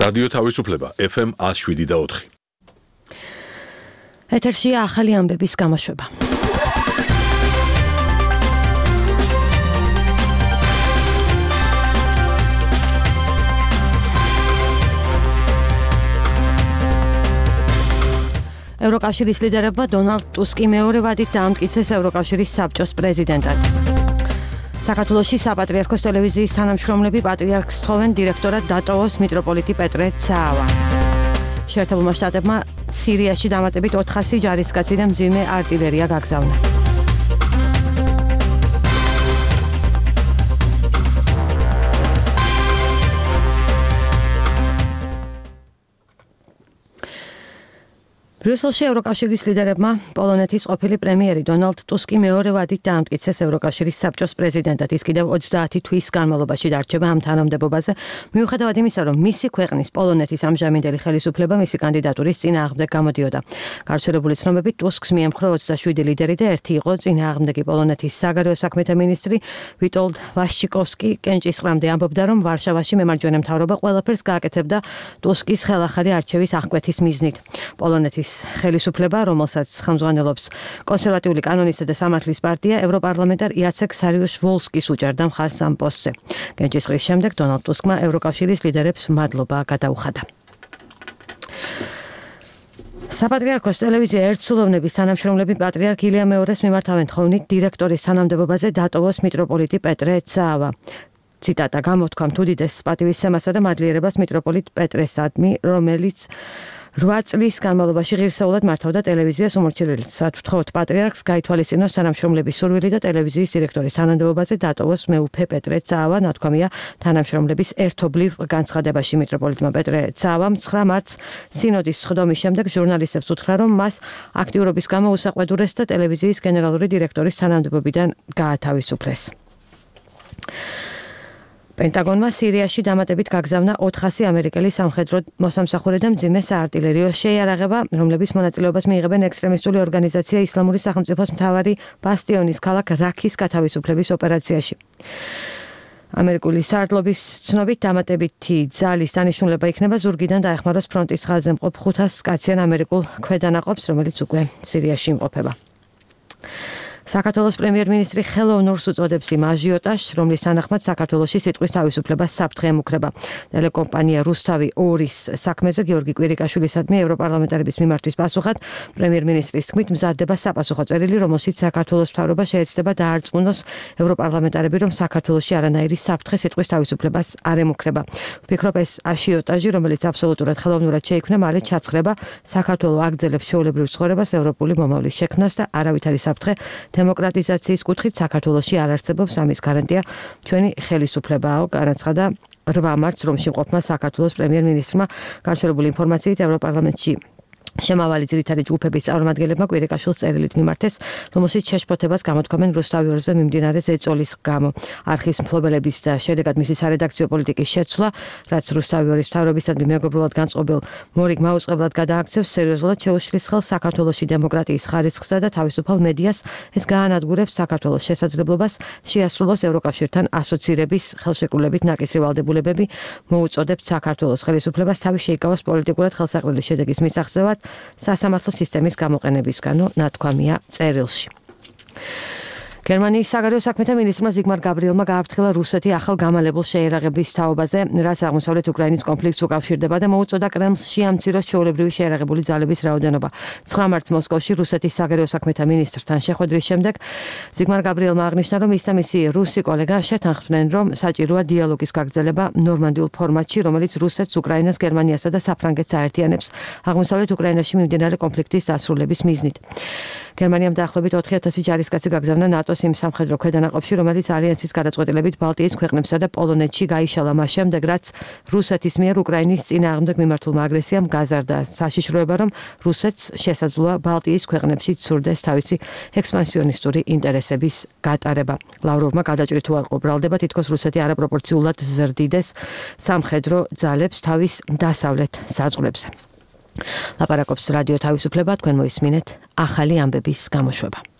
რადიო თავისუფლება FM 107.4. ეთერშია ახალი ამბების გამოშვება. ევროკავშირის ლიდერებმა დონალდ ტუსკი მეორე ვადით დაამტკიცეს ევროკავშირის საბჭოს პრეზიდენტად. საქართველოში საპატრიარქოს ტელევიზიის თანამშრომლები პატრიარქს თხოვენ დირექტორად დატოვოს მიტროპოლიტი პეტრე ცაავა. შეერთებულმა შტატებმა სირიაში დამატებით 400 ჯარისკაცი და მძიმე артиლერია გაგზავნა. ბრიუსელში ევროკავშირის ლიდერებმა პოლონეთის ყოფილი პრემიერი დონალდ ტუსკი მეორე ვადით დაამტკიცეს ევროკავშირის საბჭოს პრეზიდენტად. ის კიდევ 30 თვის განმავლობაში დარჩება ამ თანამდებობაზე, მიუხედავად იმისა, რომ მისი ქვეყნის პოლონეთის ამჟამინდელი ხელისუფლება მისი კანდიდატურის წინააღმდეგ გამოდიოდა. გავრცელებული ცნობებით ტუსკს მიემხრო 27 ლიდერი და ერთი იყო წინააღმდეგი პოლონეთის საგარეო საქმეთა მინისტრი ვიტოლდ ვაშჩიკოვსკი კენჭისყრამდე ამბობდა, რომ ვარშავაში მემარჯვენე მთავრობა ყველაფერს გააკეთებდა ტუსკის ხელახალი არჩევის აღკვეთის მიზნით. პოლონეთის ხელისუფლება, რომელსაც ხელმძღვანელობს კონსერვატიული კანონისა და სამართლის პარტია, ევროპარლამენტარ იაცეკ სარიუშ-ვოლსკის უჭერდა მხარს ამ პოსტზე. კენჭისყრის შემდეგ დონალდ ტუსკმა ევროკავშირის ლიდერებს მადლობა გადაუხადა. საპატრიარქოს ტელევიზია ერთსულოვნების თანამშრომლები პატრიარქ ილია მეორეს მიმართავენ თხოვნით დირექტორის თანამდებობაზე დატოვოს მიტროპოლიტი პეტრე ცაავა. ციტატა: გამოთქვამ თუ დიდეს პატივისცემასა და მადლიერებას მიტროპოლიტ პეტრესადმი, რომელიც 8 წლის განმავლობაში ღირსეულად მართავდა ტელევიზიას უმორჩილებლად ვთხოვთ პატრიარქს გაითვალისწინოს თანამშრომლების სურვილი და ტელევიზიის დირექტორის თანამდებობაზე დატოვოს მეუფე პეტრე ცაავა, ნათქვამია თანამშრომლების ერთობლივ განცხადებაში. მიტროპოლიტმა პეტრე ცაავამ 9 მარტს სინოდის სხდომის შემდეგ ჟურნალისტებს უთხრა, რომ მას აქტიურობის გამო უსაყვედურეს და ტელევიზიის გენერალური დირექტორის თანამდებობიდან გაათავისუფლეს. პენტაგონმა სირიაში დამატებით გაგზავნა 400 ამერიკელი სამხედრო მოსამსახურე და მძიმე საარტილერიო შეიარაღება, რომლების მონაწილეობას მიიღებენ ექსტრემისტული ორგანიზაცია ისლამური სახელმწიფოს მთავარი ბასტიონის ქალაქ რაქის გათავისუფლების ოპერაციაში. ამერიკული საარდლობის ცნობით დამატებითი ძალის დანიშნულება იქნება ზურგიდან დაეხმაროს ფრონტის ხაზზე მყოფ 500 კაციან ამერიკულ ქვედანაყოფს, რომელიც უკვე სირიაში იმყოფება. საქართველოს პრემიერ-მინისტრი ხელოვნურს უწოდებს იმ აჟიოტაჟს, რომლის თანახმად საქართველოში სიტყვის თავისუფლებას საფრთხე ემუქრება. ტელეკომპანია რუსთავი 2-ის საქმეზე გიორგი კვირიკაშვილისადმი ევროპარლამენტარების მიმართვის პასუხად პრემიერ-მინისტრის თქმით მზადდება საფასუხო წერილი, რომელშიც საქართველოს მთავრობა შეეცდება დაარწმუნოს ევროპარლამენტარები, რომ საქართველოში არანაირი საფრთხე სიტყვის თავისუფლებას არ ემუქრება. ვფიქრობ, ეს აჟიოტაჟი, რომელიც აბსოლუტურად ხელოვნურად შეიქმნა, მალე ჩაცხრება საქართველოს აგრძელებს ჩვეულებრივ ცხოვრებას, ევროპული მომავლის შექმნას და არავითარი საფრთხე დემოკრატიზაციის კუთხით საქართველოში არ არსებობს, ამის გარანტია ჩვენი ხელისუფლებაა, განაცხადა 8 მარტს რომში მყოფმა საქართველოს პრემიერ-მინისტრმა. გავრცელებული ინფორმაციით ევროპარლამენტში შემავალი ძირითადი ჯგუფების წარმომადგენლებმა კვირიკაშვილს წერილით მიმართეს, რომელშიც შეშფოთებას გამოთქვამენ რუსთავი 2-ზე მიმდინარე ზეწოლის გამო. არხის მფლობელების და შედეგად მისი სარედაქციო პოლიტიკის შეცვლა, რაც რუსთავი 2-ის მთავრობისადმი მეგობრულად განწყობილ მორიგ მაუწყებლად გადააქცევს, სერიოზულად შეუშლის ხელს საქართველოში დემოკრატიის ხარისხსა და თავისუფალ მედიას. ეს გაანადგურებს საქართველოს შესაძლებლობას შეასრულოს ევროკავშირთან ასოცირების ხელშეკრულებით ნაკისრი ვალდებულებები, მოუწოდებთ საქართველოს ხელისუფლებას თავი შეიკავოს პოლიტიკურად ხელსაყრელი შედეგის მისაღწევად სასამართლო სისტემის გამოყენებისგანო, ნათქვამია წერილში. გერმანიის საგარეო საქმეთა მინისტრმა ზიგმარ გაბრიელმა გააფრთხილა რუსეთი ახალ გამალებულ შეიარაღების თაობაზე, რაც აღმოსავლეთ უკრაინის კონფლიქტს უკავშირდება და მოუწოდა კრემლს შეამციროს ჩვეულებრივი შეიარაღებული ძალების რაოდენობა. 9 მარტს მოსკოვში რუსეთის საგარეო საქმეთა მინისტრთან შეხვედრის შემდეგ ზიგმარ გაბრიელმა აღნიშნა, რომ ის და მისი რუსი კოლეგა შეთანხმდნენ, რომ საჭიროა დიალოგის გაგრძელება ნორმანდიულ ფორმატში, რომელიც რუსეთს, უკრაინას, გერმანიასა და საფრანგეთს აერთიანებს აღმოსავლეთ უკრაინაში მიმდინარე კონფლიქტის დასრულების მიზნით. გერმანიამ დაახლოებით 4000 ჯარისკაცი გაგზავნა ნატოს იმ სამხედრო ქვედანაყოფში, რომელიც ალიანსის გადაწყვეტილებით ბალტიის ქვეყნებსა და პოლონეთში გაიშალა მას შემდეგ, რაც რუსეთის მიერ უკრაინის წინააღმდეგ მიმართულმა აგრესიამ გაზარდა საშიშროება, რომ რუსეთს შესაძლოა ბალტიის ქვეყნებში ცურდეს თავისი ექსპანსიონისტური ინტერესების გატარება. ლავროვმა გადაჭრი თუ არ ყოფრალდება, თითქოს რუსეთი არაპროპორციულად ზრდიდეს სამხედრო ძალებს თავის დასავლეთ საზღვრებზე. ლაპარაკობს რადიო თავისუფლება, თქვენ მოისმინეთ ახალი ამბების გამოშვება.